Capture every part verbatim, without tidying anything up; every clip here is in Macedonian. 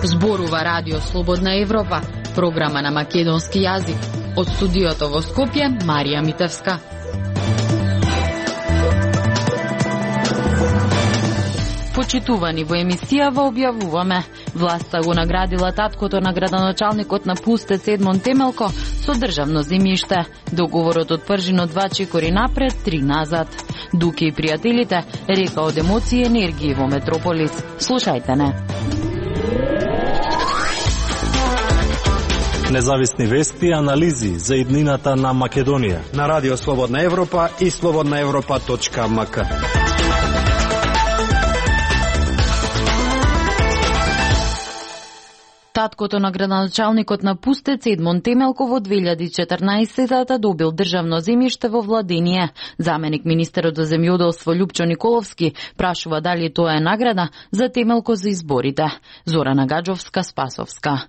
Зборува Радио Слободна Европа, програма на македонски јазик. Од студиото во Скопје, Марија Митевска. Почитувани во емисијава објавуваме. Власта го наградила таткото на градоначалникот на Пустец Едмон Темелко со државно земјиште. Договорот отпржи на два чекори напред, три назад. Дуки и пријателите, река од емоции и енергии во Метрополис. Слушајте не. Независни вести и анализи за иднината на Македонија на Радио Слободна Европа и слободна европа точка ем ка. Таткото на градоначалникот на Пустец Едмон Темелко во две илјади и четрнаесетта добил државно земјиште во владение. Заменик министерот за земјоделство Љупчо Николовски прашува дали тоа е награда за Темелко за изборите. Зорана Гаджовска, Спасовска.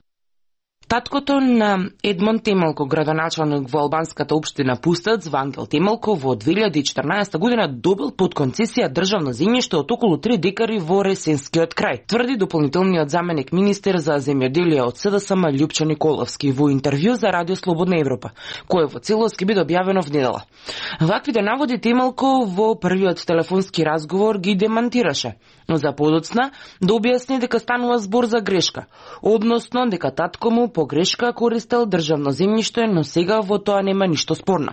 Таткото на Едмон Темелко, градоначалник во албанската општина Пустец, Вангел Темелко, во две илјади и четрнаесетта година добил под концесија државно земјиште од околу три декари во Ресенскиот крај, тврди дополнителниот заменик министер за земјоделие од С Д С М Љупчо Николовски во интервју за Радио Слободна Европа, кое во целост ќе биде објавено внедела. Ваквите наводи Темелко во првиот телефонски разговор ги демантираше, но за подоцна да објасни дека станува збор за грешка, односно дека татко му по грешка користел државно земјиште, но сега во тоа нема ништо спорно.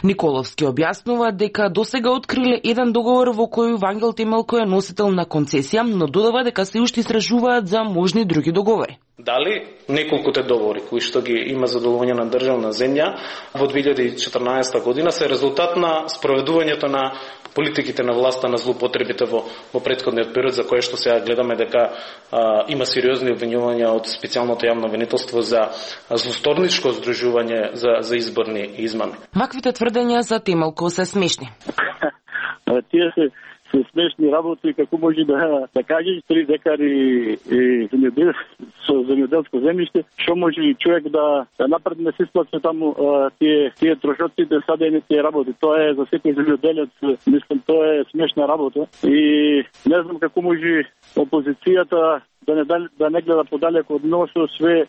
Николовски објаснува дека досега откриле еден договор во кој Вангел Темелко е носител на концесија, но додава дека се уште истражуваат за можни други договори. Дали неколкуте договори кои што ги има задоволување на државна земја во две илјади и четрнаесетта година се резултат на спроведувањето на политиките на власта на злоупотребите во, во претходниот период, за кое што сега гледаме дека а, има сериозни обвинувања од специјалното јавно обвинителство за злосторничко здружување за, за изборни измами. Ваквите тврдења за Темелко се смешни. Тие се се смешни работи, како може да да кажеш три декари земјодел со земјоделско земјиште, што може човек да да напредне се исплати таму а, тие тие трошоци да садење тие работи. Тоа е за секој земјоделец, мислам, тоа е смешна работа и не знам како може опозицијата да не да не гледа подалеку од носо све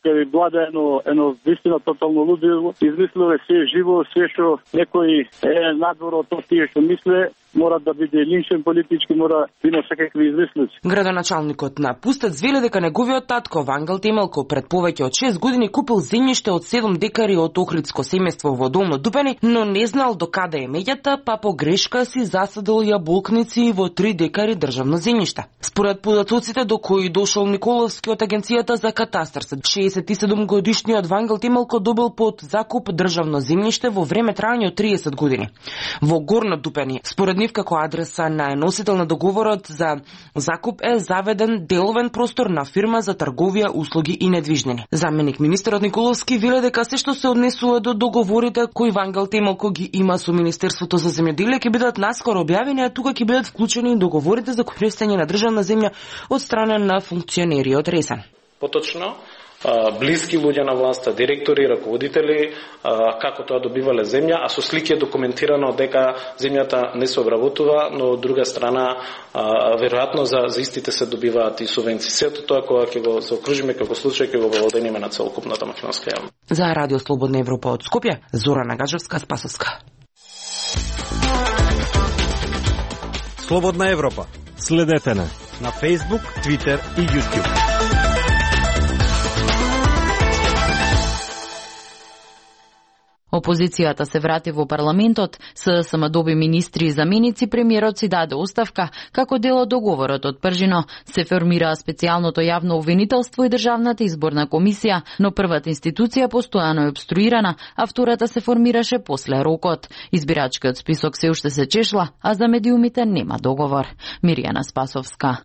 кај влада едно едно вистина тотално лудило, измислиле се живо, све што некој е надвор од тоа тие што мисле, мора да биде линчен политички, мора да има секакви измислици. Градоначалникот на Пустец вели дека неговиот татко Вангел Темелко пред повеќе од шест години купил земјиште од седум декари од Охридско семејство во Долно Дупени, но не знал до каде е меѓата, па по грешка си засадил јаболкници во три декари државно земјиште. Според податоците до кои дошол Николовски од агенцијата за катастар, шеесет и седум годишниот Вангел Темелко добил под закуп државно земјиште во време трајање од триесет години. Во Горно Дупени, според нив како адреса на носител на договорот за закуп е заведен деловен простор на фирма за трговија, услуги и недвижнини. Заменик министерот Николовски вели дека се што се однесува до договорите кои Вангел Темелко ги има со Министерството за земјоделие ќе бидат наскоро објавени, а тука ќе бидат вклучени и договорите за користење на државна земја од страна на функционери од Ресен. Поточно, блиски луѓе на власта, директори, раководители, како тоа добивале земја, а со слики е документирано дека земјата не се обработува, но од друга страна веројатно за, за истите се добиваат и субвенции. Сето тоа кога ќе го заокружиме како случај ќе го воведеме на целокупната македонска јавност. За Радио Слободна Европа од Скопје, Зорана Гаджевска, Спасовска. Слободна Европа. Следете на на Facebook, Twitter и YouTube. Опозицијата се врати во парламентот, С Д С М доби министри и заменици, премиерот си даде оставка, како дел од договорот од пржино. Се формираа специјалното јавно обвинителство и државната изборна комисија, но првата институција постојано е обструирана, а втората се формираше после рокот. Избирачкиот список се уште се чешла, а за медиумите нема договор. Миријана Спасовска.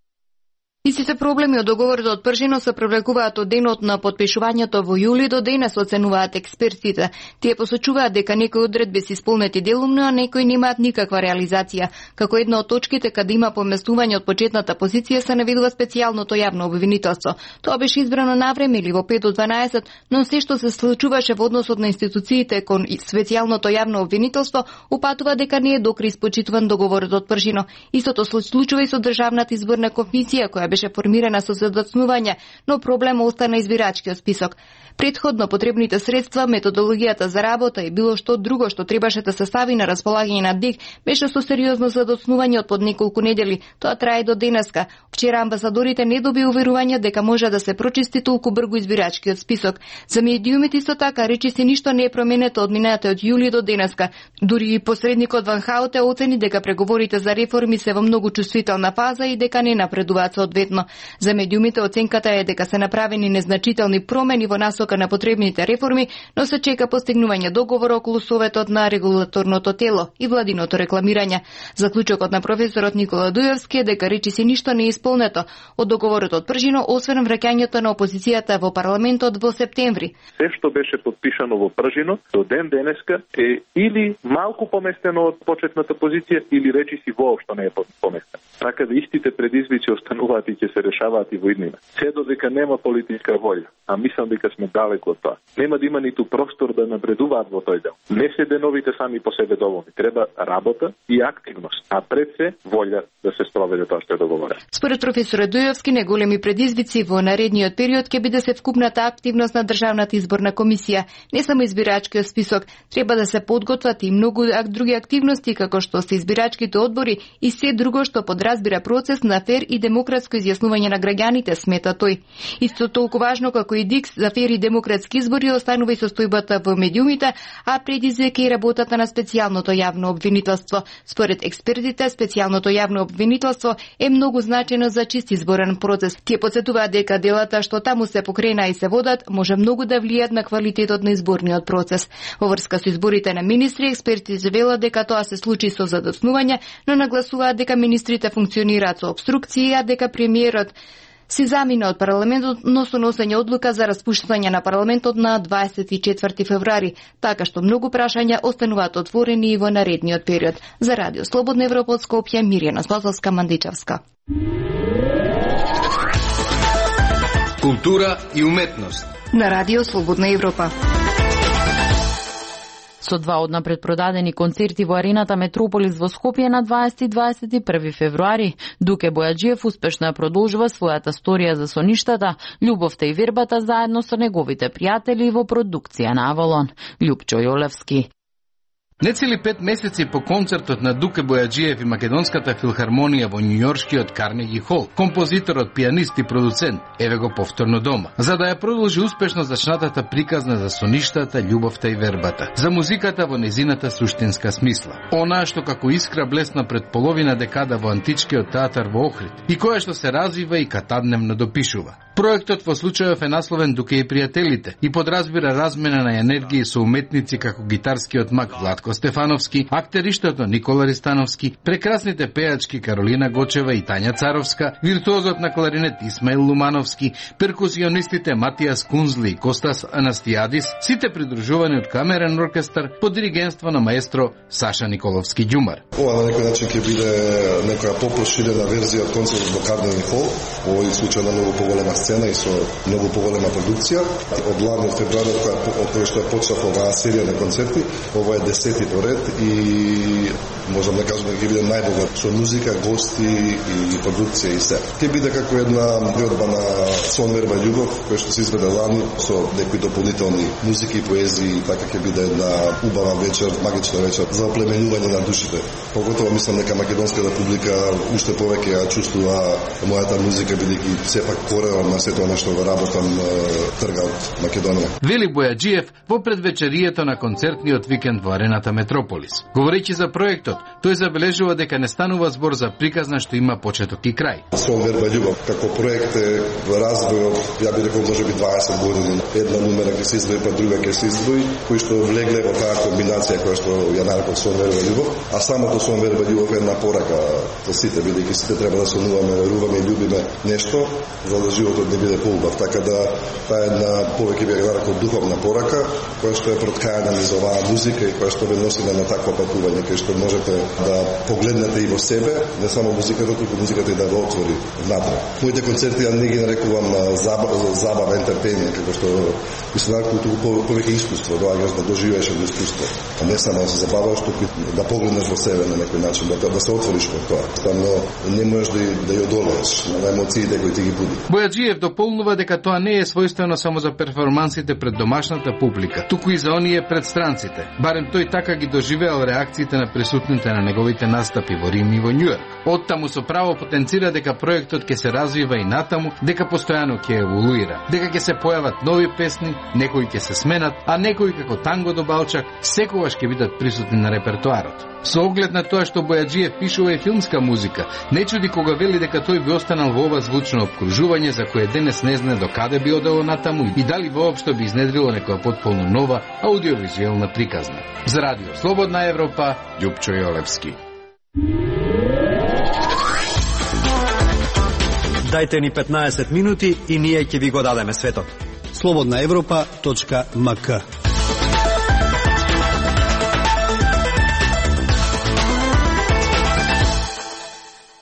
Истите проблеми од договорот од Пржино се привлекуваат од денот на потпишувањето во јули до денес, оценуваат експертите. Тие посочуваат дека некои одредби се исполнети делумно, а некои немаат никаква реализација. Како една од точките каде има поместување од почетната позиција се наведува специјалното јавно обвинителство. Тоа беше избрано навреме или во пет до дванаесет, но се што се случуваше во односот на институциите кон специјалното јавно обвинителство упатува дека не е докри испочитуван договорот од Пржино. Истото случува и со Државната изборна комисија која беше формирана со задоцнување, но проблем остана избирачкиот список. Предходно потребните средства, методологијата за работа и било што друго што требаше да се стави на располагање на ДИК беше со сериозно задоцнување од под неколку недели. Тоа трае до денеска. Вчера амбасадорите не доби уверување дека може да се прочисти толку брзо избирачкиот список. За медиумите исто така речи се ништо не е променето од минатиот јули до денеска. Дури и посредникот Ван Хауте оцени дека преговорите за реформи се во многу чувствителна фаза и дека не напредуваат соодветно. За медиумите оценката е дека се направени незначителни промени во насока на потребните реформи, но се чека постигнување договор околу советот на регулаторното тело и владиното рекламирање. Заклучокот на професорот Никола Дујовски е дека речиси ништо не е исполнето од договорот од Пржино, освен враќањето на опозицијата во парламентот во септември. Се што беше подпишано во Пржино до ден денеска е или малку поместено од почетната позиција или речиси воопшто не е поместено. Така да истите предизвици остануваат и ќе се решаваат и во иднина. Се додека нема политичка волја, а мислам дека сме далеко од тоа. Нема да има ниту простор да напредуваат во тој дел. Не се деновите сами по себе доволни. Треба работа и активност, а пред се волја да се спроведе тоа што е договорено. Според професорот Дујовски, неголеми предизвици во наредниот период ќе биде се вкупната активност на Државната изборна комисија. Не само избирачкиот список, треба да се подготват и многу други активности како што се избирачките одбори и се друго што подразбира процес на фер и демократско изјаснување на граѓаните, смета тој. Исто толку важно како и ДИК за фер и демократски избори останува и состојбата во медиумите, а предизвика и работата на специјалното јавно обвинителство. Според експертите, специјалното јавно обвинителство е многу значено за чист изборен процес. Тие потсетуваат дека делата што таму се покрена и се водат може многу да влијат на квалитетот на изборниот процес. Во врска со изборите на министри, експертите велат дека тоа се случи со задоцнување, но нагласуваат дека министрите функционираат со обструкции, а дека премиерот си замина од парламентот, но со носење одлука за распуштање на парламентот на дваесет и четврти февруари, така што многу прашања остануваат отворени и во наредниот период. За Радио Слободна Европа од Скопје, Мирјана Спасовска-Мандичевска. Култура и уметност на Радио Слободна Европа. Со два од напредпродадени концерти во арената Метрополис во Скопје на дваесети и дваесет и први февруари, Дуке Бојаджиев успешно ја продолжува својата сторија за соништата, љубовта и вербата заедно со неговите пријатели во продукција на Авалон. Љупчо Јолевски. Нецели пет месеци по концертот на Дуке Бојаджиев и Македонската филхармонија во Њујоршкиот Карнеги хол, композиторот, пианист и продуцент еве го повторно дома, за да ја продолжи успешно зачнатата приказна за соништата, љубовта и вербата, за музиката во незината суштинска смисла. Онаа што како искра блесна пред половина декада во античкиот театар во Охрид и која што се развива и катадневно допишува. Проектот во случајов е насловен Дуке и пријателите и подразбира размена на енергија со уметници како гитарскиот мак Владко Стефановски, актериштото Никола Ристановски, прекрасните пејачки Каролина Гочева и Тања Царовска, виртуозот на кларинет Исмаил Лумановски, перкусионистите Матијас Кунзли и Костас Анастијадис, сите придружувани од камерен оркестар под диригентство на маестро Саша Николовски Ѓумар. Ова на некој начин ќе биде некоја попроширена верзија од концертот во Карнеги хол, во овој случај на многу поголема сцена и со многу поголема продукција. Од ларниот февруари, од кој што е почнав оваа серија на концерти, ова е десети поред и можам да кажам дека ќе биде најдобар со музика, гости и продукција и се. Ќе биде како една верба на сон, верба и љубов, која што се изведе лани со некои дополнителни музики и поезии, така ќе биде една убава вечер, магична вечер за оплеменување на душите. Поготово мислам дека македонската публика уште повеќе ја чувствува мојата музика, бидејќи сепак коренот на сето она што го работам трга од Македонија. Вели Бојаджиев во предвечерието на концертниот викенд во арената Метрополис. Говорејќи за проектот, тој забележува дека не станува збор за приказна што има почеток и крај. Сон верба љубов како проект е развој од, ја би рекол, можеби дваесет години. Една нумера ќе се издвои, па друга ќе се издвои, кои што влегле во таа комбинација која што ја нарекол сон верба љубов, а самото сон верба љубов е една порака за сите, бидејќи сите треба да сонуваме, веруваме и љубиме нешто за да животот не биде поубав. Така да таа е една повеќе би ја нарекол духовна порака која што е проткаена низ оваа музика и која што ве носи на такво патување, кај што можете да погледнете и во себе, не само музиката, туку музиката и да го отвори внатре. Моите концерти ја не ги нарекувам забава, забава ентертејнмент, како што мислам, туку повеќе искуство, доаѓаш да доживееш едно искуство, а не само да се забаваш, туку да погледнеш во себе на некој начин, да, да се отвориш во тоа. Ставно не можеш да, да ја одолееш на емоциите кои ти ги буди. Бојаджиев дополнува дека тоа не е својствено само за перформансите пред домашната публика, туку и за оние пред странците. Барем тој така ги доживеал реакциите на присутните на неговите настапи во Рим и во Њујорк. Оттаму со право потенцира дека проектот ќе се развива и натаму, дека постојано ќе еволуира, дека ќе се појават нови песни, некои ќе се сменат, а некои како Танго до Балчак секогаш ќе бидат присутни на репертоарот. Со оглед на тоа што Бојаджиев пишува и филмска музика, не чуди кога вели дека тој би останал во ова звучно обкружување за кое денес не знае до каде би одело натаму и дали воопшто би изнедрило некоја потполно нова аудиовизуелна приказна. За Радио Слободна Европа, Љупчо Јолевски. Дајте ни петнаесет минути и ние ќе ви го дадеме светот. слободна европа точка ем ка.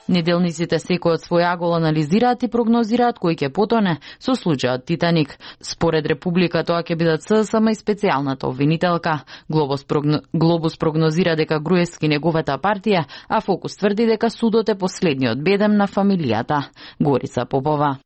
Неделниците секој од свој агол анализираат и прогнозираат кој ќе потоне со случајот Титаник. Според Република тоа ќе бидат ССМ и специјалната обвинителка. Глобус, прогно... Глобус прогнозира дека Груевски неговата партија, а Фокус тврди дека судот е последниот бедем на фамилијата. Горица Попова.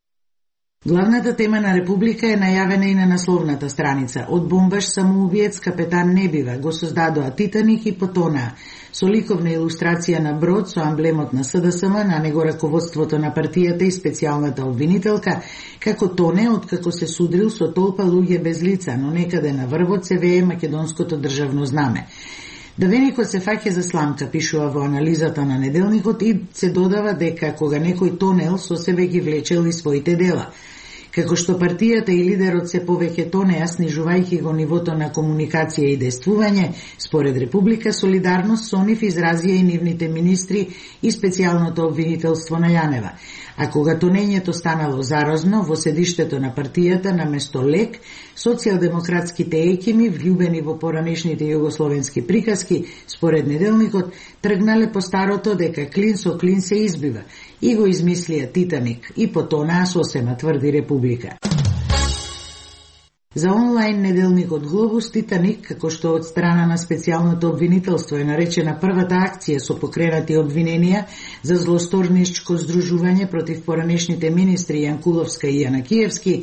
Главната тема на Република е најавена и на насловната страница. Од бомбаш самоубиец капетан не бива, го создадоа Титаник и потонаа. Со ликовна илустрација на брод со амблемот на СДСМ, на него раководството на партијата и специјалната обвинителка, како тоне откако се судрил со толпа луѓе без лица, но некаде на врвот се вее македонското државно знаме. Давеникот се фаќа за сламка, пишува во анализата на Неделникот и се додава дека кога некој тонел со себе ги влечел и своите дела. Како што партијата и лидерот се повеќе тонеа, снижувајќи го нивото на комуникација и действување, според Република солидарност со нив изразија и нивните министри и специјалното обвинителство на Јанева. А кога тонењето станало заразно, во седиштето на партијата наместо лек, социјалдемократските екими, влюбени во поранешните југословенски приказки, според Неделникот, тргнале по старото дека клин со клин се избива и го измислија Титаник и потонаа сосема, тврди Република. За онлайн неделникот Глобус, Титаник, како што од страна на специјалното обвинителство е наречена првата акција со покренати обвиненија за злосторничко здружување против поранешните министри Јанкуловска и Јанакиевски,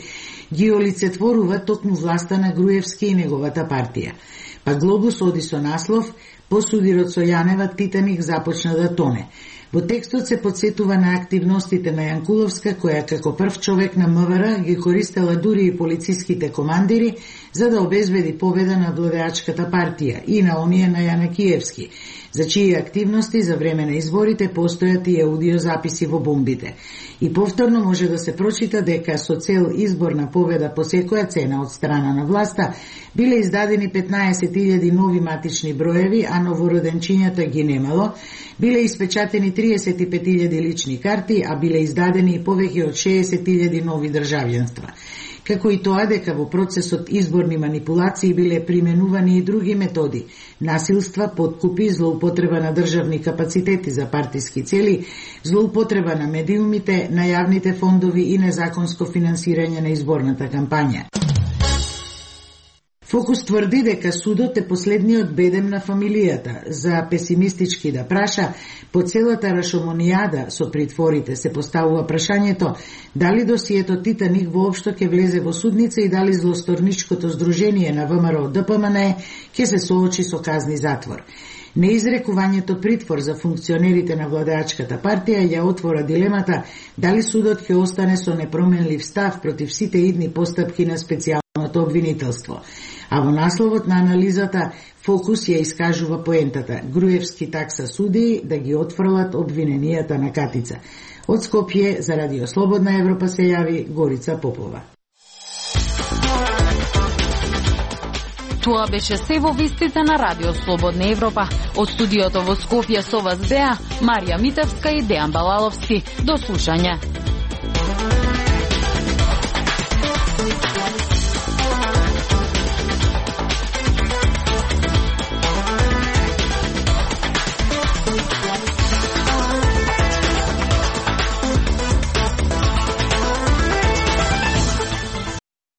ги олицетворува токму власта на Груевски и неговата партија. Па Глобус оди со наслов "По судирот со Јанева Титаник започна да тоне". Во текстот се подсетува на активностите на Јанкуловска, која како прв човек на МВР ги користела дури и полициските командири за да обезбеди победа на владеачката партија и на оние на Јанакиевски, за чии активности за време на изборите постојат и аудиозаписи во бомбите. И повторно може да се прочита дека со цел изборна победа по секоја цена од страна на власта биле издадени петнаесет илјади нови матични броеви, а новороденчињата ги немало, биле испечатени триесет и пет илјади лични карти, а биле издадени и повеќе од шеесет илјади нови државјанства. Како и тоа дека во процесот изборни манипулации биле применувани и други методи: насилства, подкупи, злоупотреба на државни капацитети за партиски цели, злоупотреба на медиумите, на јавните фондови и незаконско финансирање на изборната кампања. Фокус тврди дека судот е последниот бедем на фамилијата. За песимистички да праша, по целата рашомонијада со притворите се поставува прашањето дали досието Титаник воопшто ќе влезе во судница и дали злосторничкото здружение на ВМРО ДПМН ќе се соочи со казни затвор. Неизрекувањето притвор за функционерите на владеачката партија ја отвора дилемата дали судот ќе остане со непроменлив став против сите идни постапки на специјалното обвинителство. А во насловот на анализата Фокус ја искажува поентата. Груевски такса судии да ги отфрлат обвиненијата на Катица. Од Скопје за Радио Слободна Европа се јави Горица Попова. Тоа беше се во вестите на Радио Слободна Европа. Од студиото во Скопје со вас беа Марија Митевска и Дејан Балаловски. До слушање.